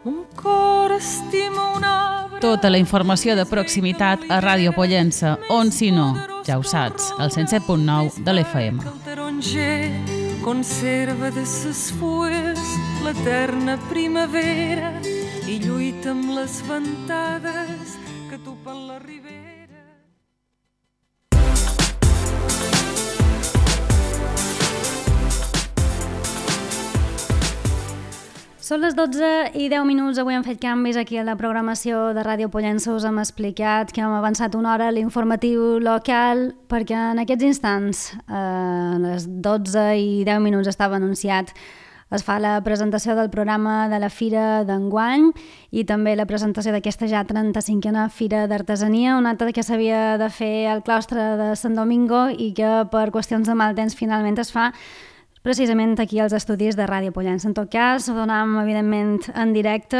Un cor estima un arbre. Tota la informació de proximitat a Ràdio Pollença, on si no, ja ho saps, al 107.9 de l'FM. El taronger conserva de ses fulles l'eterna primavera i lluita amb les ventades que topen la ribera. Són les 12:10. Avui hem fet canvis aquí a la programació de Ràdio Pollença. Us hem explicat que hem avançat una hora l'informatiu local perquè en aquests instants, a les 12:10 estava anunciat, es fa la presentació del programa de la Fira d'enguany i també la presentació d'aquesta ja 35a Fira d'Artesania, un acte que s'havia de fer al claustre de Sant Domingo i que per qüestions de mal temps finalment es fa precisament aquí als estudis de Ràdio Pollença. En tot cas, ho donam evidentment en directe.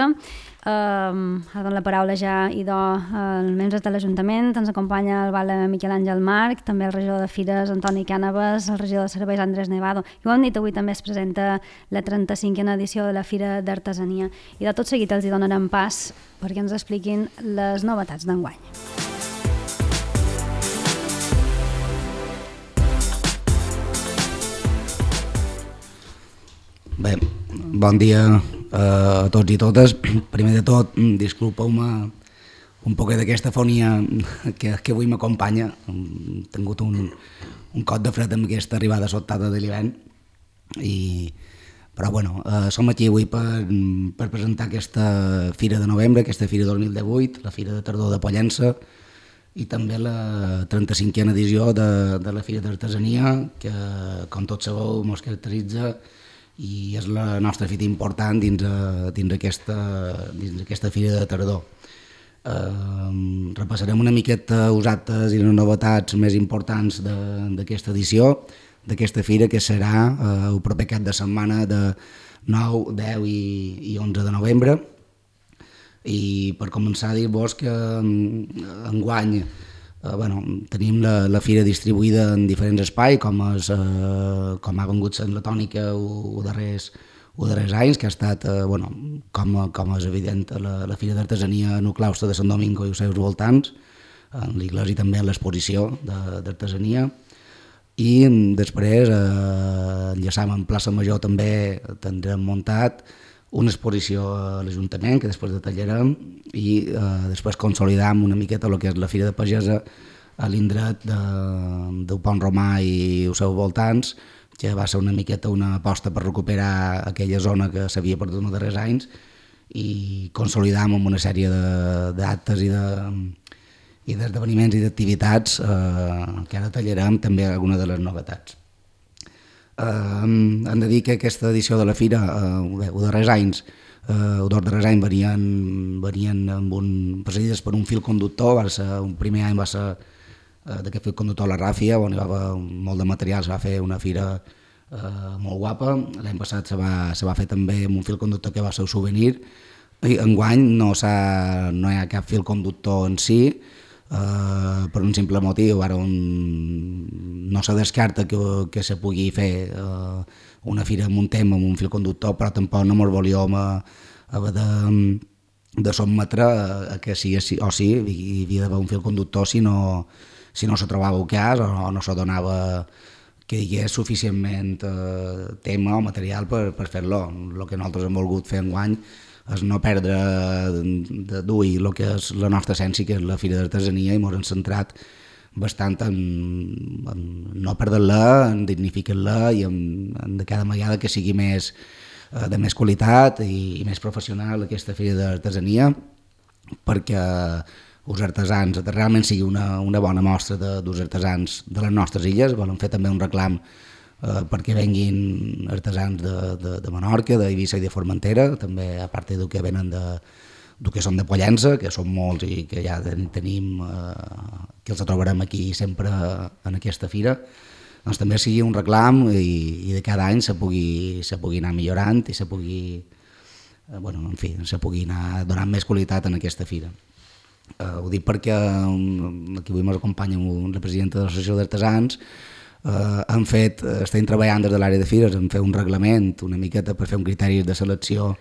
Ara dono la paraula ja idò als membres de l'Ajuntament. Ens acompanya el Vale Miquel Àngel Marc, també el regidor de Fires Antoni Cànovas, el regidor de Serveis Andrés Nevado. I ho hem dit, avui també es presenta la 35a edició de la Fira d'Artesania. I de tot seguit els hi donarem pas perquè ens expliquin les novetats d'enguany. Bé, bon dia a tots i totes. Primer de tot, disculpeu-me un poquet d'aquesta fonia que avui m'acompanya. He tingut un cot de fred amb aquesta arribada sobtada de l'hivern. Però bueno, som aquí avui per presentar aquesta Fira de novembre, aquesta Fira 2018, la Fira de Tardor de Pollença, i també la 35a edició de la Fira d'Artesania, que, com tots sabeu, ens caracteritza i és la nostra fita important dins aquesta Fira de Tardor. Repassarem una miqueta els actes i les novetats més importants d'aquesta edició, d'aquesta fira, que serà el proper cap de setmana de 9, 10 i 11 de novembre. I per començar, dir-vos que enguany tenim la fira distribuïda en diferents espais, com ha vengut sent la tònica els darrers anys, que ha estat, com és evident, la Fira d'Artesania en el claustre de Sant Domingo i els seus voltants, en l'església i també en l'exposició d'artesania. I després, enllaçant en plaça Major, també tindrem muntat una exposició a l'Ajuntament, que després detallarem, i després consolidam una miqueta el que és la Fira de Pagesa a l'indret del Pont Romà i els seus voltants, que va ser una miqueta una aposta per recuperar aquella zona que s'havia perdut els darrers anys, i consolidam amb una sèrie d'actes i d'esdeveniments i d'activitats que ara detallarem també alguna de les novetats. Hem de dir que aquesta edició de la Fira, els dos darrers anys varien precedides per un fil conductor. Un primer any va ser d'aquest fil conductor a la Ràfia, on hi va haver molt de material, se va fer una fira molt guapa. L'any passat se va fer també amb un fil conductor que va ser un souvenir. Enguany no hi ha cap fil conductor en si, per un simple motiu. Ara no se descarta que se pugui fer una fira amb un tema, amb un fil conductor, però tampoc no ens volíem haver de sotmetre a que sí o sí hi havia d'haver un fil conductor si no se trobava el cas o no se donava que hi hagués suficientment tema o material per fer-lo. El que nosaltres hem volgut fer enguany és no perdre de duir el que és la nostra essència, que és la Fira d'Artesania, i ens hem centrat bastant en no perdre-la, en dignificar-la i en de cada vegada que sigui de més qualitat i més professional aquesta Fira d'Artesania, perquè els artesans realment sigui una bona mostra dels artesans de les nostres illes. Volem fer també un reclam perquè venguin artesans de Menorca, d'Eivissa i de Formentera, també a part del que venen del que són de Pollença, que són molts i que ja tenim, que els trobarem aquí sempre en aquesta fira. Doncs també sigui un reclam i de cada any se pugui anar millorant i se pugui anar donant més qualitat en aquesta fira. Ho dic perquè aquí avui m'acompanya la presidenta de l'Associació d'Artesans. Estem treballant des de l'àrea de fires en fer un reglament una miqueta per fer un criteri de selecció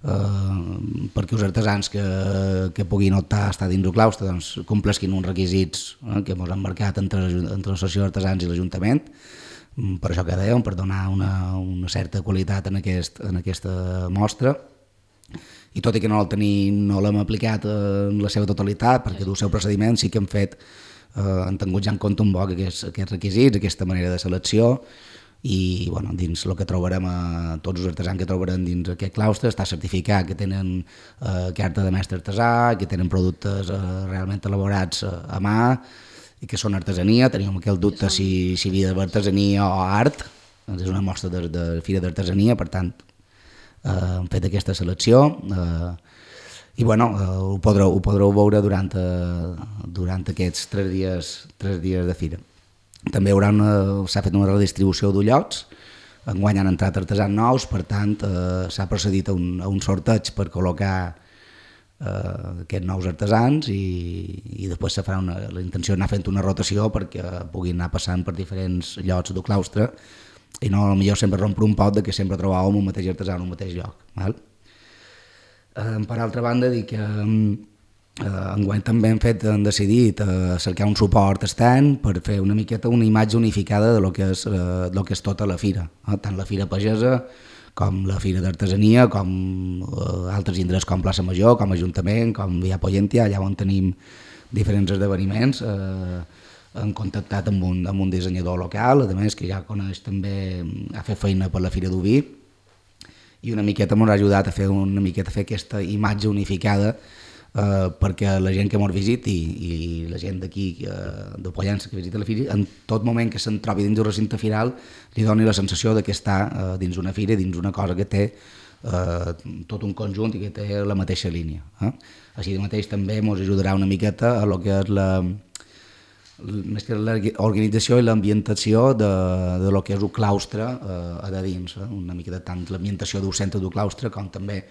perquè els artesans que puguin optar a estar dins del claustre doncs, complesquin uns requisits que ens han marcat entre l'associació d'artesans i l'Ajuntament, per això que dèiem, per donar una certa qualitat en aquesta mostra. I tot i que no l'hem aplicat en la seva totalitat, perquè del seu procediment sí que han tingut ja en compte un poc aquests requisits, aquesta manera de selecció, i bueno, dins el que trobarem tots els artesans que trobarem dins aquest claustre està certificat que tenen carta de mestre artesà, que tenen productes realment elaborats a mà i que són artesania. Teníem aquell dubte si havia d'haver artesania o art, és una mostra de fira d'artesania, per tant hem fet aquesta selecció i bueno, ho podreu veure durant aquests 3 dies de fira. També s'ha fet una redistribució d'ullots, enguany han entrat artesans nous, per tant s'ha procedit a un sorteig per col·locar aquests nous artesans i després se farà la intenció d'anar fent una rotació perquè puguin anar passant per diferents llocs del claustre i no potser sempre rompre un pot que sempre trobàvem un mateix artesà en un mateix lloc. Val? Per altra banda, dir que enguany també hem decidit cercar un suport extern per fer una miqueta una imatge unificada de lo que és tota la fira, tant la fira pagesa com la fira d'artesania, com altres indrets com Plaça Major, com Ajuntament, com Via Pollentia, allà on tenim diferents esdeveniments. Hem contactat amb un dissenyador local, a més que ja coneix també a fer feina per la Fira d'Oví, i una miqueta ens ha ajudat a fer aquesta imatge unificada perquè la gent que ens visiti i la gent d'aquí, de Pollença, que visita la fira, en tot moment que se'n trobi dins del recinte firal li doni la sensació que està dins una fira, dins una cosa que té tot un conjunt i que té la mateixa línia. Així mateix també ens ajudarà una miqueta a lo que és més que l'organització i l'ambientació de lo que és el claustre a de dins, una miqueta tant l'ambientació del centre del claustre com també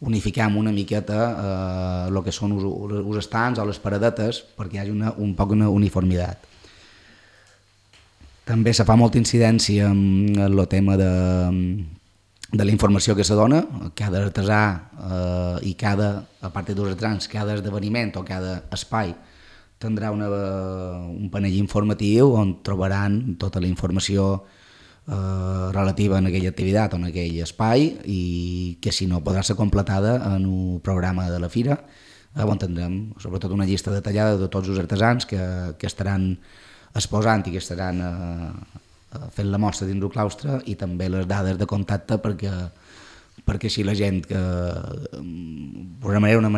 unifiquem una miqueta el que són els estants o les paradetes perquè hi hagi un poc una uniformitat. També se fa molta incidència en el tema de la informació que se dona. Cada artesà i a part dels artesans, cada esdeveniment o cada espai tindrà un panell informatiu on trobaran tota la informació relativa en aquella activitat o en aquell espai i que si no podrà ser completada en el programa de la fira on tindrem sobretot una llista detallada de tots els artesans que estaran exposant i que estaran fent la mostra dins del claustre i també les dades de contacte perquè així la gent que és una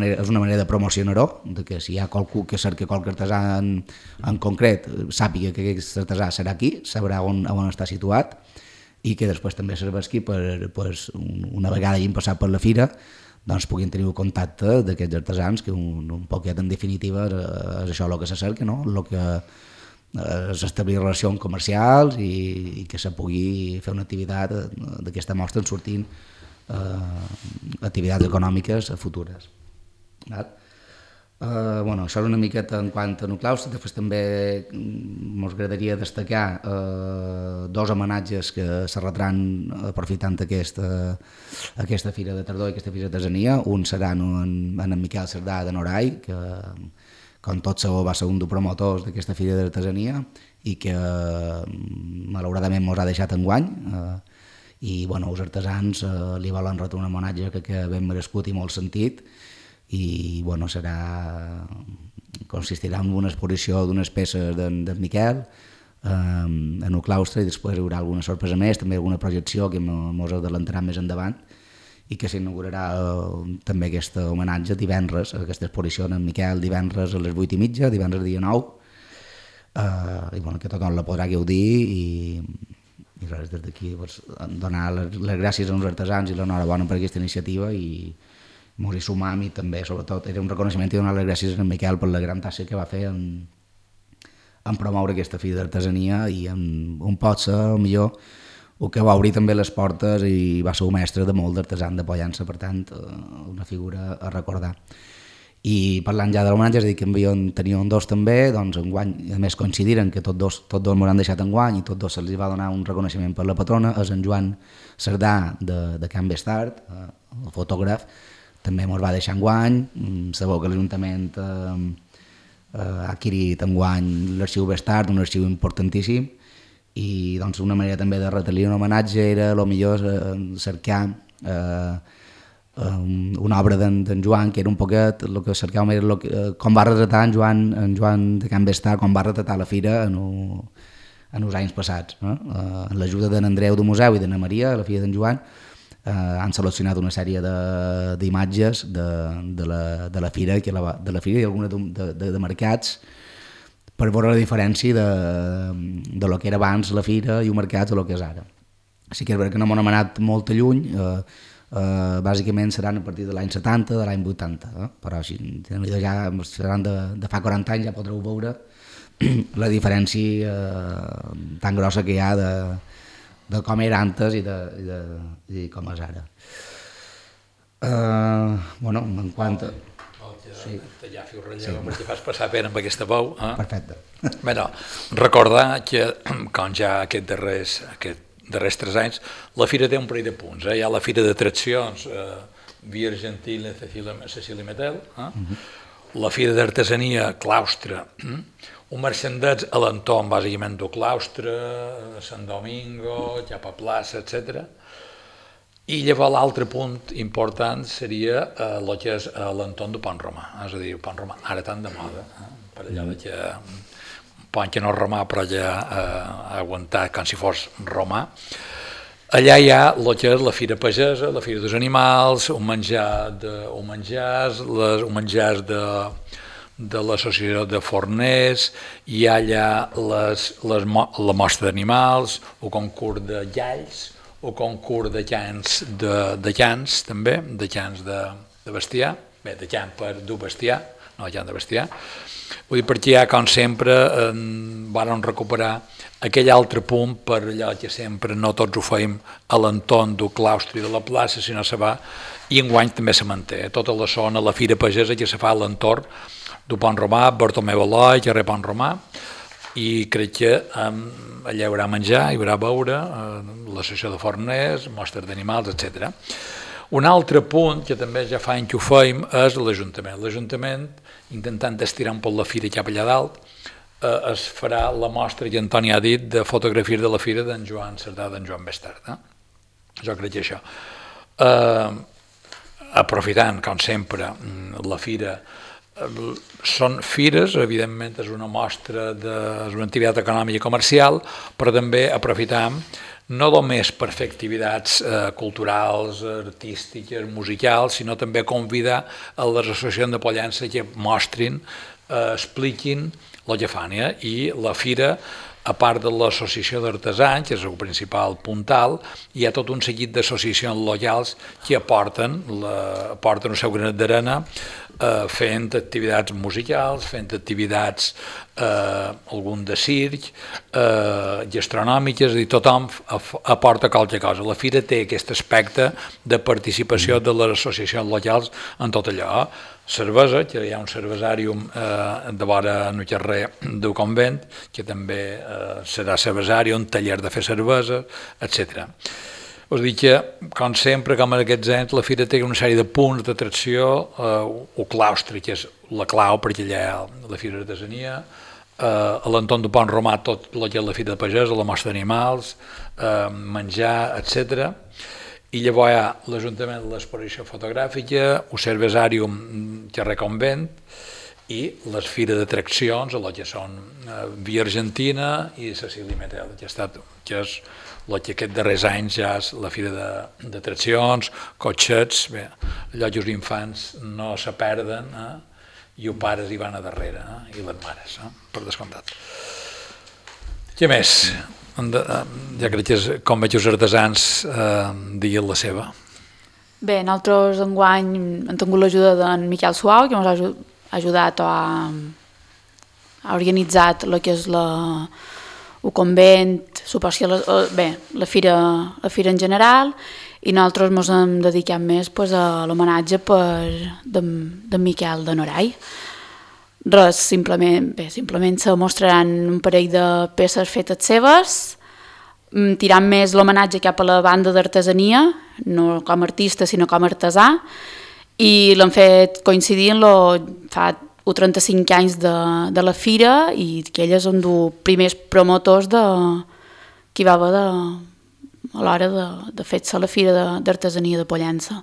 manera de promocionar-ho, que si hi ha qualcú que cerca qualque artesà en concret sàpiga que aquest artesà serà aquí, sabrà on està situat i que després també serveixi per una vegada hagin passat per la fira doncs puguin tenir el contacte d'aquests artesans que un poquet en definitiva és això el que se cerca, no? El que és establir relacions comercials i que se pugui fer una activitat d'aquesta mostra en sortint activitats econòmiques futures. Això és una miqueta en quant a el claustre. Després també ens agradaria destacar 2 homenatges que se retran aprofitant aquesta fira de tardor i aquesta fira d'artesania. Un serà en Miquel Cerdà de Norai, que com tot sabeu va ser un dels promotors d'aquesta fira d'artesania i que malauradament ens ha deixat enguany i els artesans li volen retre un homenatge que ben merescut i molt sentit i consistirà en una exposició d'unes peces d'en Miquel en el claustre i després hi haurà alguna sorpresa més, també alguna projecció que ens adelantarà més endavant i que s'inaugurarà també aquest homenatge divendres, aquesta exposició en Miquel divendres a les 8:30, divendres dia 9 i que tothom la podrà gaudir i res, des d'aquí donar les gràcies als artesans i l'enhorabona per aquesta iniciativa i ens hi sumam i també sobretot era un reconeixement i donar les gràcies a en Miquel per la gran tasca que va fer en promoure aquesta fira d'artesania i on pot ser millor el que va obrir també les portes i va ser un mestre de molt d'artesans de Pollença, per tant una figura a recordar. I parlant ja de l'homenatge, és a dir, que tenien dos també, doncs enguany, a més coincidiren que tots dos m'han deixat enguany i tots dos se'ls va donar un reconeixement per la patrona, és en Joan Cerdà de Can Bestart, el fotògraf, també ens va deixar enguany. Sabeu que l'Ajuntament ha adquirit enguany l'arxiu Bestart, un arxiu importantíssim, i doncs una manera també de retre-li un homenatge era millor cercar una obra d'en Joan, que era un poquet el que cercàvem, era com va retratar en Joan de Can Bestart, com va retratar la fira en els anys passats. Amb l'ajuda d'en Andreu del museu i d'Anna Maria, la filla d'en Joan, han seleccionat una sèrie d'imatges de la fira i algunes de mercats, per veure la diferència de lo que era abans la fira i els mercats a lo que és ara. Sí que és veritat que no m'han anat molt lluny, bàsicament seran a partir de l'any 70, de l'any 80, però així, ja seran de fa 40 anys, ja podreu veure la diferència tan grossa que hi ha de com era antes i com és ara. Bueno, en quant a... Sí. T'allafi el relleu, perquè fas passar pena amb aquesta veu. Perfecte. Bé, no, recordar que, com ja aquests darrers 3 anys, la fira té un parell de punts. Hi ha la fira d'atraccions, Via Argentina, Cecília Metel, la fira d'artesania, Claustre, un merchandets a l'entorn, bàsicament, del Claustre, Sant Domingo, cap a plaça, etc. I llavors l'altre punt important seria el que és l'entorn del Pont Romà, és a dir, el Pont Romà, ara tan de moda, per allà que un pont que no és romà però ja ha aguantat com si fos romà. Allà hi ha el que és la fira pagesa, la fira dels animals, un menjars de l'associació de forners, hi ha allà la mostra d'animals, el concurs de llalls, el concurs de cans també, de cans de bestiar, bé, de can per dur bestiar, no de can de bestiar. Vull dir, perquè ja, com sempre, vam recuperar aquell altre punt per allò que sempre no tots ho feim a l'entorn del claustre i de la plaça, sinó se va, i enguany també se manté, tota la zona, la fira pagesa que se fa a l'entorn del Pont Romà, Bartomeu Eloi, carrer Pont Romà, i crec que allà hi haurà menjar, hi haurà beure, l'associació de forners, mostres d'animals, etc. Un altre punt, que també ja fa anys que ho feim, és l'Ajuntament. L'Ajuntament, intentant estirar un poc la fira cap allà dalt, es farà la mostra que Antoni ha dit de fotografies de la fira d'en Joan Cerdà, d'en Joan Bestart. Jo crec que això. Aprofitant, com sempre, la fira, són fires, evidentment és una mostra, és una activitat econòmica i comercial, però també aprofitam no només per fer activitats culturals, artístiques, musicals, sinó també convidar a les associacions de Pollença que mostrin, expliquin el que fan. I la fira, a part de l'associació d'artesans, que és el principal puntal, hi ha tot un seguit d'associacions locals que aporten el seu granet d'arena fent activitats musicals, fent activitats algun de circ, gastronòmiques, és a dir, tothom aporta qualque cosa. La fira té aquest aspecte de participació de les associacions locals en tot allò. Cervesa, que hi ha un cervesàrium de vora en el carrer del convent, que també serà cervesari, un taller de fer cervesa, etc. Us dic que, com sempre, com en aquests anys, la fira té una sèrie de punts d'atracció, el claustre, que és la clau, perquè allà hi ha la fira d'artesania, a l'entorn del Pont Romà tot el que és la fira de pagès, la mostra d'animals, menjar, etc. I llavors hi ha l'Ajuntament de l'exposició fotogràfica, el cervesàrium carrer Convent i les fires d'atraccions, el que són Via Argentina i Cecília Metel, que és el que aquests darrers anys ja és la fira d'atraccions, cotxets, bé, allò que els infants no se perden i els pares hi van a darrere, i les mares, per descomptat. Què més? Ja crec que és com veig els artesans diguin la seva. Bé, nosaltres enguany hem tingut l'ajuda d'en Miquel Suau, que ens ha ajudat a organitzar el que és el convent, la fira en general, i nosaltres ens hem dedicat més a l'homenatge d'en Miquel de Norai. Res, simplement se mostraran un parell de peces fetes seves, tirant més l'homenatge cap a la banda d'artesania, no com a artista sinó com a artesà, i l'han fet coincidir fa 35 anys de la fira, i que elles són els primers promotors que hi va haver a l'hora de fer-se la fira d'artesania de Pollença,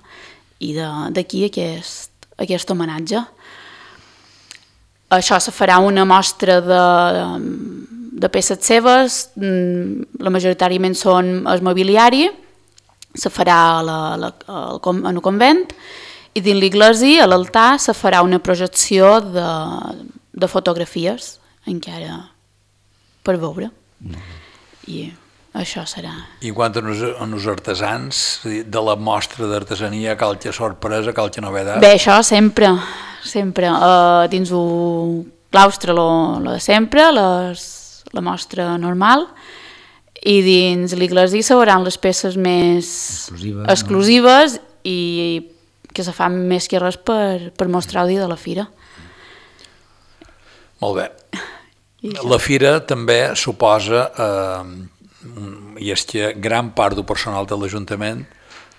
i d'aquí aquest homenatge. Això se farà una mostra de peces seves, majoritàriament són el mobiliari, se farà en el convent, i dins l'església, a l'altar, se farà una projecció de fotografies, encara per veure. I això serà. I en quant als artesans, de la mostra d'artesania, qualque sorpresa, qualque novedat? Bé, això sempre. Dins el claustre lo de sempre, la mostra normal, i dins l'església se veuran les peces més exclusives i que se fan més que res per mostrar el dia de la fira. Molt bé. La fira també suposa, i és que gran part del personal de l'Ajuntament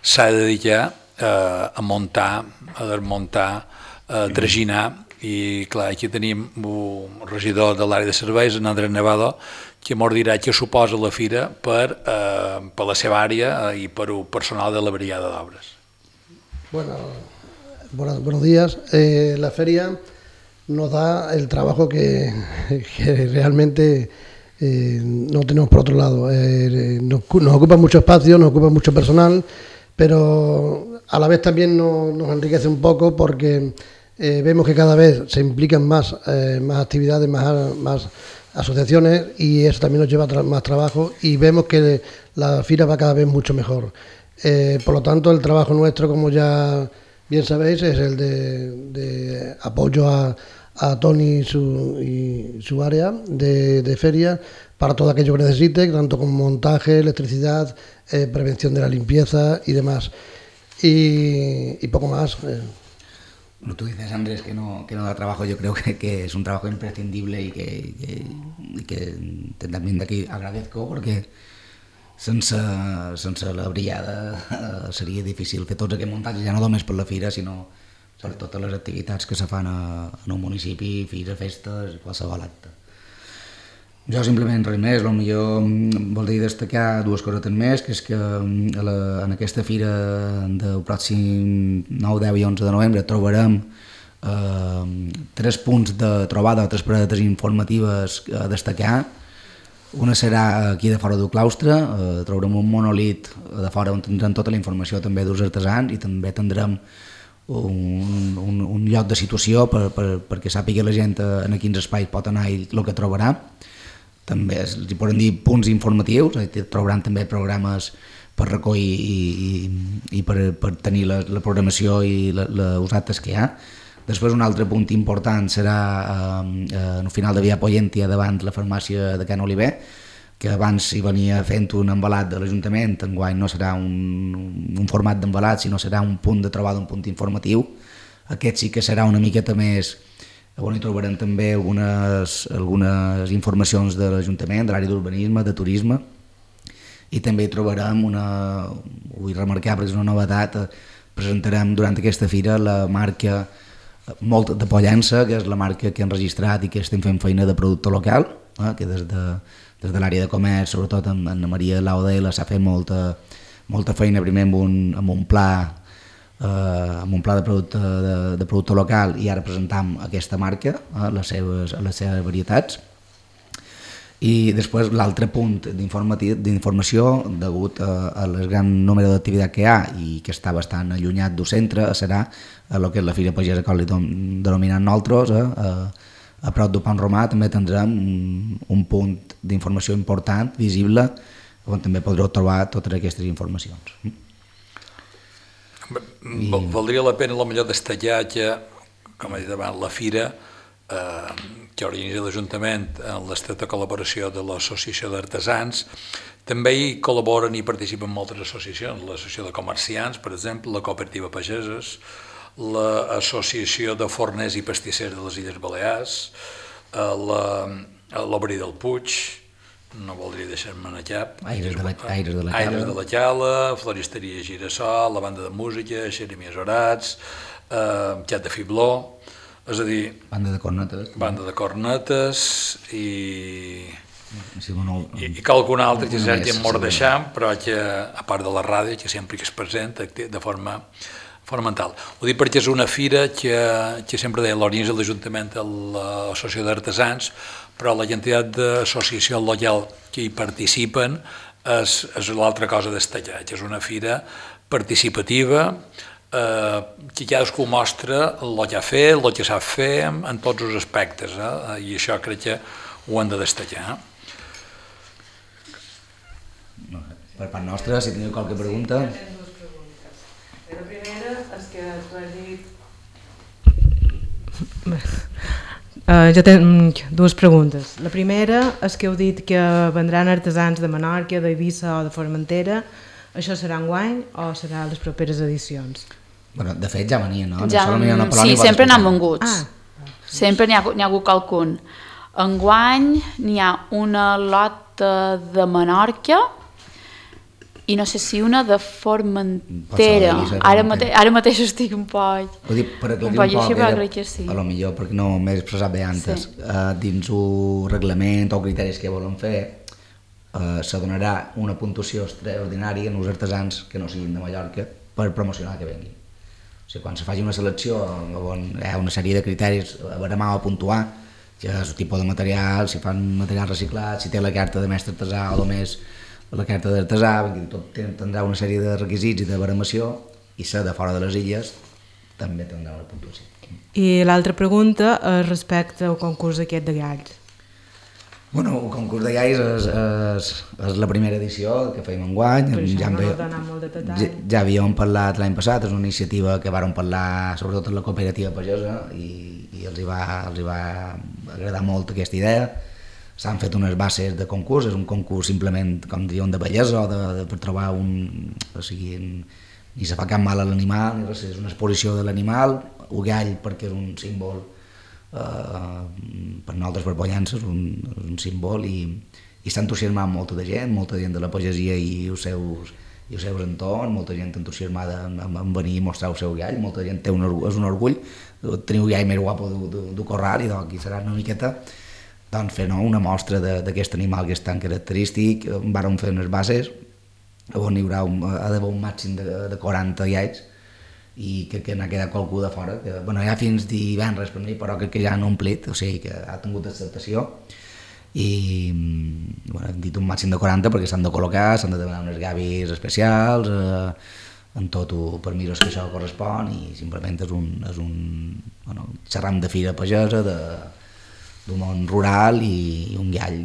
s'ha de dedicar a muntar, a desmuntar, a traginar, i clar, aquí tenim el regidor de l'àrea de serveis, en Andrés Nevado, que ens dirà què suposa la fira per la seva àrea i per el personal de la brigada d'obres. Buenos días. La feria nos da el trabajo que realmente no tenemos por otro lado. Nos ocupa mucho espacio, nos ocupa mucho personal, pero a la vez también nos enriquece un poco porque vemos que cada vez se implican más actividades, más asociaciones, y eso también nos lleva más trabajo, y vemos que la fira va cada vez mucho mejor. Por lo tanto, el trabajo nuestro, como ya bien sabéis, es el de apoyo a Tony y su área de feria para todo aquello que necesite, tanto como montaje, electricidad, prevención de la limpieza y demás. Y poco más. Bueno, tú dices, Andrés, que no da trabajo. Yo creo que es un trabajo imprescindible y que también de aquí agradezco, porque sense la brigada seria difícil fer tots aquests muntatges, ja no només per la fira, sinó per totes les activitats que se fan en un municipi, fira, festes, qualsevol acte. Jo simplement res més, potser voldria destacar dues cosetes més, que és que en aquesta fira del pròxim 9, 10 i 11 de novembre trobarem 3 punts de trobada, 3 paradetes informatives a destacar. Una serà aquí de fora del claustre, trobarem un monolit de fora on tindrem tota la informació també dels artesans, i també tindrem un lloc de situació perquè sàpiga la gent en quins espais pot anar i el que trobarà. També els podem dir punts informatius, trobaran també programes per recollir i per tenir la programació i els actes que hi ha. Després un altre punt important serà al final de Via Pollentia, davant la farmàcia de Can Oliver, que abans hi venia fent un embalat de l'Ajuntament. Enguany no serà un format d'embalat, sinó serà un punt de trobada, un punt informatiu. Aquest sí que serà una miqueta més, on hi trobarem també algunes informacions de l'Ajuntament, de l'àrea d'urbanisme, de turisme, i també hi trobarem vull remarcar perquè és una novetat, presentarem durant aquesta fira la marca molt de Pollença, que és la marca que hem registrat i que estem fent feina de producte local, que des de l'àrea de comerç, sobretot amb Anna Maria Laudela, s'ha fet molta feina primer amb un pla de producte local, i ara presentam aquesta marca, les seves varietats. I després l'altre punt d'informació, degut al gran número d'activitat que hi ha i que està bastant allunyat del centre, serà el que és la Fira Pagesa, com li denominem nosaltres, a prop del Pont Romà. També tindrem un punt d'informació important, visible, on també podreu trobar totes aquestes informacions. Valdria la pena potser destacar que, com he dit abans, la fira que organitza l'Ajuntament en l'estreta col·laboració de l'Associació d'Artesans. També hi col·laboren i participen moltes associacions, l'Associació de Comerciants, per exemple, la Cooperativa Pageses, l'Associació de Forners i Pastissers de les Illes Balears, l'Obri del Puig, no voldria deixar-me'n a cap, Aires de la Cala, Floristeria Girassol, la banda de música, Xeremies Orats, Xat de Fibló, és a dir... Banda de cornetes i qualcun altre que s'hagi mort deixant, però que, a part de la ràdio, que sempre que es presenta de forma fonamental. Ho dic perquè és una fira que sempre deia l'organitza l'Ajuntament a l'Associació d'Artesans, però la quantitat d'associacions locals que hi participen és l'altra cosa a destacar, que és una fira participativa, que cadascú mostra el que ha fet, el que sap fer en tots els aspectes, i això crec que ho hem de destacar. Per part nostra, si teniu qualque pregunta... La primera és que tu has dit... Jo tinc dues preguntes. La primera és que heu dit que vendran artesans de Menorca, d'Eivissa o de Formentera. Això serà enguany o serà a les properes edicions? Bueno, de fet ja venien, no? Sí, sempre n'han vengut. Sempre n'hi ha hagut qualcun. Enguany n'hi ha una lota de Menorca i no sé si una de Formentera. Ara mateix estic un poc... Ho dic per aclarir un poc, a lo millor perquè no m'he expressat bé antes. Dins un reglament o criteris que volen fer, se donarà una puntuació extraordinària en els artesans que no siguin de Mallorca per promocionar que venguin. O sigui, quan se faci una selecció, hi ha una sèrie de criteris a baremar o a puntuar, que és el tipus de material, si fan material reciclat, si té la carta de mestre artesà o només la carta d'artesà, tot tindrà una sèrie de requisits i de baremació, i ser de fora de les illes també tindrà una puntuació. I l'altra pregunta és respecte al concurs aquest de galls. Bueno, el concurs de galls és la primera edició que fèiem enguany. Per això no heu donat molt de detall. Ja havíem parlat l'any passat, és una iniciativa que vàrem parlar sobretot amb la cooperativa pagesa i els hi va agradar molt aquesta idea. S'han fet unes bases de concurs, és un concurs simplement, com diuen, de bellesa o per trobar o sigui, ni se fa cap mal a l'animal, ni res, és una exposició de l'animal, el gall perquè és un símbol, per nosaltres per Pollença és un símbol i s'ha entusiasmat molta gent de la pagesia i els seus entorns, molta gent entusiasmada en venir i mostrar el seu gall, molta gent és un orgull, tenir el gall més guapo del corral i aquí serà una miqueta fer una mostra d'aquest animal que és tan característic. Vàrem fer unes bases on hi ha d'haver un màxim de 40 galls i crec que n'ha quedat qualcú de fora, que hi ha fins divendres per mi, però crec que ja han omplit, o sigui que ha tingut acceptació i hem dit un màxim de 40 perquè s'han de col·locar, s'han de demanar unes gavis especials, en tot el permisos que això correspon i simplement és un xerram de fira pagesa, d'un món rural i un gall,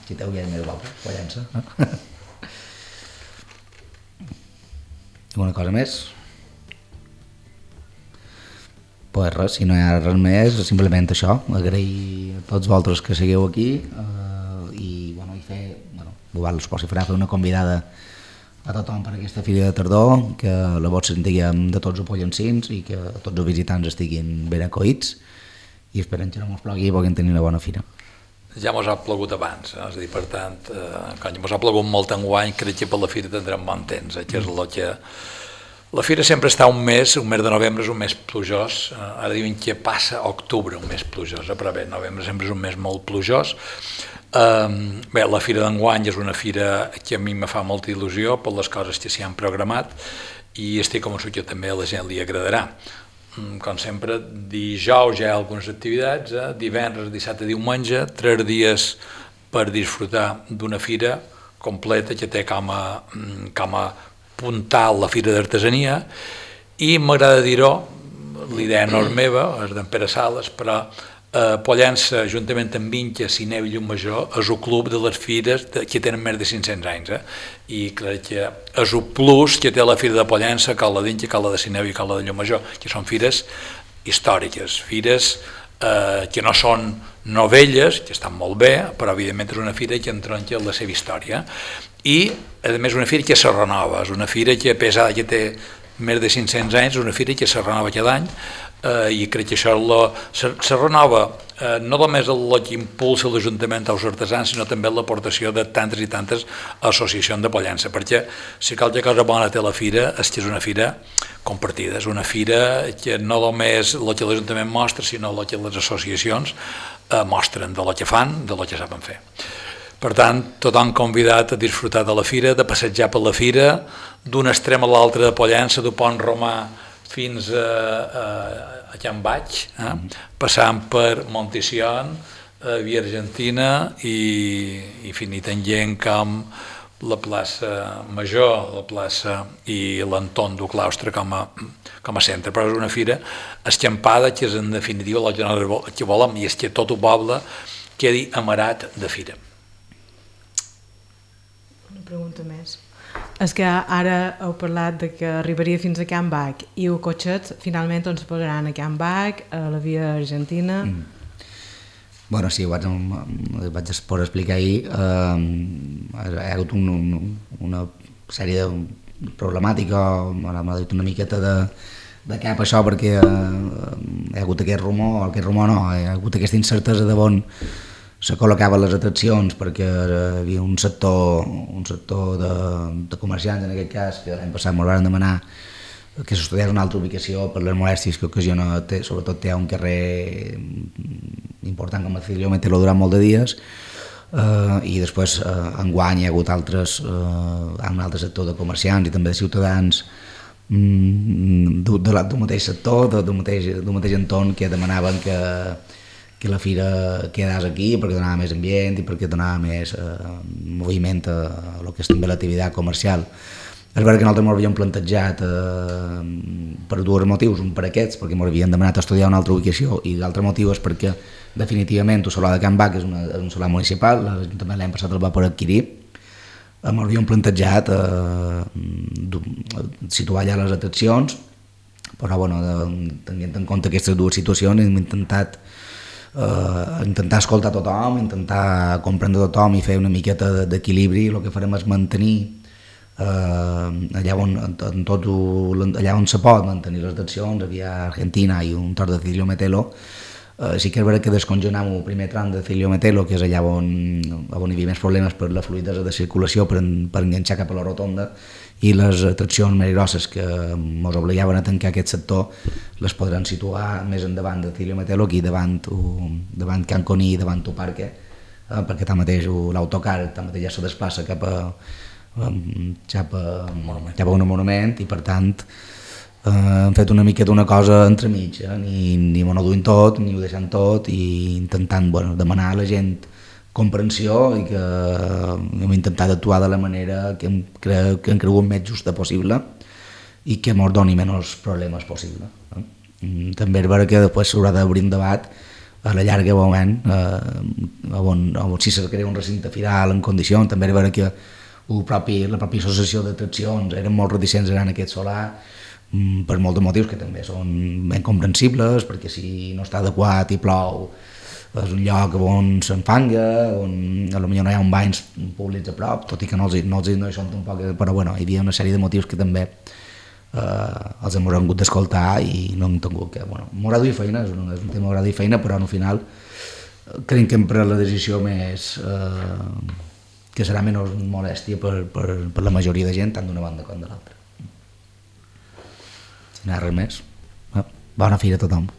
si té un gall més guapo, Pollença. Alguna cosa més? Pues res, si no hi ha res més, simplement això, agrair a tots vosaltres que seguiu aquí i fer, si farà fer una convidada a tothom per aquesta fira de tardor, que la vots sentiguem de tots els pollencins i que tots els visitants estiguin ben acollits i esperem que no mos plogui i puguem tenir una bona fira. Ja mos ha plogut abans, és a dir, per tant, quan mos ha plogut molt enguany, crec que per la fira tindrem bon temps, que és el que... La fira sempre està un mes de novembre és un mes plujós, ara diuen que passa octubre un mes plujós, però bé, novembre sempre és un mes molt plujós. Bé, la fira d'enguany és una fira que a mi me fa molta il·lusió per les coses que s'hi han programat i estic convençut que també a la gent li agradarà. Com sempre, dijous hi ha algunes activitats, divendres, dissabte, diumenge, 3 dies per disfrutar d'una fira completa que té com a puntal la Fira d'Artesania i m'agrada dir-ho, l'idea no és meva, és d'en Pere Sales, però Pollença, juntament amb Vinca, Sineu i Llumajor, és el club de les fires que tenen més de 500 anys. I crec que és el plus que té la Fira de Pollença, que la d'Vinca, que la de Sineu i que la de Llumajor, que són fires històriques, fires que no són novelles, que estan molt bé, però evidentment és una fira que entronca la seva història. I, a més, una fira que se renova, és una fira que, a pesar que té més de 500 anys, és una fira que se renova cada any, i crec que això se renova no només el que impulsa l'Ajuntament als artesans, sinó també l'aportació de tantes i tantes associacions de Pollença, perquè si qualque cosa bona té la fira és que és una fira compartida, és una fira que no només el que l'Ajuntament mostra, sinó el que les associacions mostren de lo que fan, de lo que saben fer. Per tant, tothom convidat a disfrutar de la fira, de passejar per la fira, d'un extrem a l'altre de Pollença, del Pont Romà fins a Can Baig, passant per Monticion, Via Argentina i finit en gent com la plaça Major, la plaça i l'entorn del claustre com a centre. Però és una fira escampada que és en definitiva el que volem, i és que tot el poble quedi amarat de fira. Una pregunta més. És que ara heu parlat de que arribaria fins a Can Bac i els cotxets finalment on se posaran a Can Bac, a la Via Argentina... Bueno, sí, ho vaig explicar ahir. Hi ha hagut una sèrie de problemàtica, m'ha dit una miqueta de cap això, perquè hi ha hagut aquest rumor no, hi ha hagut aquesta incertesa de on se col·locaven les atraccions, perquè hi havia un sector de comerciants, en aquest cas, que l'any passat ens van demanar que s'estudiés una altra ubicació per les molèsties que ocasiona, sobretot té un carrer important com a Cilio Metelo durant molt de dies, i després enguany hi ha hagut un altre sector de comerciants i també de ciutadans del mateix sector, del mateix entorn, que demanaven que la fira quedés aquí perquè donava més ambient i perquè donava més moviment a el que és també l'activitat comercial. És veritat que nosaltres ens havíem plantejat per dos motius, un per aquests, perquè ens havien demanat estudiar una altra ubicació, i l'altre motiu és perquè definitivament el solar de Can Bac és un solar municipal, l'Ajuntament l'any passat el va poder adquirir, ens havíem plantejat situar allà les atraccions, però bueno, tenint en compte aquestes dues situacions hem intentat escoltar tothom, intentar comprendre tothom i fer una miqueta d'equilibri. El que farem és mantenir allà on se pot mantenir les atraccions, Via Argentina i un tros de Cilio Metelo. Sí que és veritat que descongelam el primer tram de Cilio Metelo, que és allà on hi havia més problemes per la fluïdesa de circulació, per enganxar cap a la rotonda, i les atraccions més grosses que ens obligaven a tancar aquest sector les podran situar més endavant de Cilio Metelo, aquí davant Can Coní i davant el parque, perquè tanmateix l'autocar ja se desplaça cap a un monument, i per tant hem fet una mica d'una cosa entremig, ni ho duim tot ni ho deixem tot, i intentant demanar a la gent comprensió, i que hem intentat actuar de la manera que hem cregut més justa possible i que ens doni menys problemes possible. També és vera que després s'haurà d'obrir un debat a la llarga moment, si se crea un recinte firal en condicions. També és vera que la pròpia associació d'atraccions eren molt reticents en aquest solar, per molts motius que també són ben comprensibles, perquè si no està adequat i plou és un lloc on s'enfanga, on potser no hi ha un banys públics a prop, tot i que no hi són tampoc, però bueno, hi havia una sèrie de motius que també els hem hagut d'escoltar i no hem tingut que... M'haurà de dir feina, és un tema m'haurà de dir feina, però al final crec que hem pres la decisió més que serà menys molèstia per la majoria de gent, tant d'una banda com de l'altra. Si no hi ha res més, bona fira a tothom.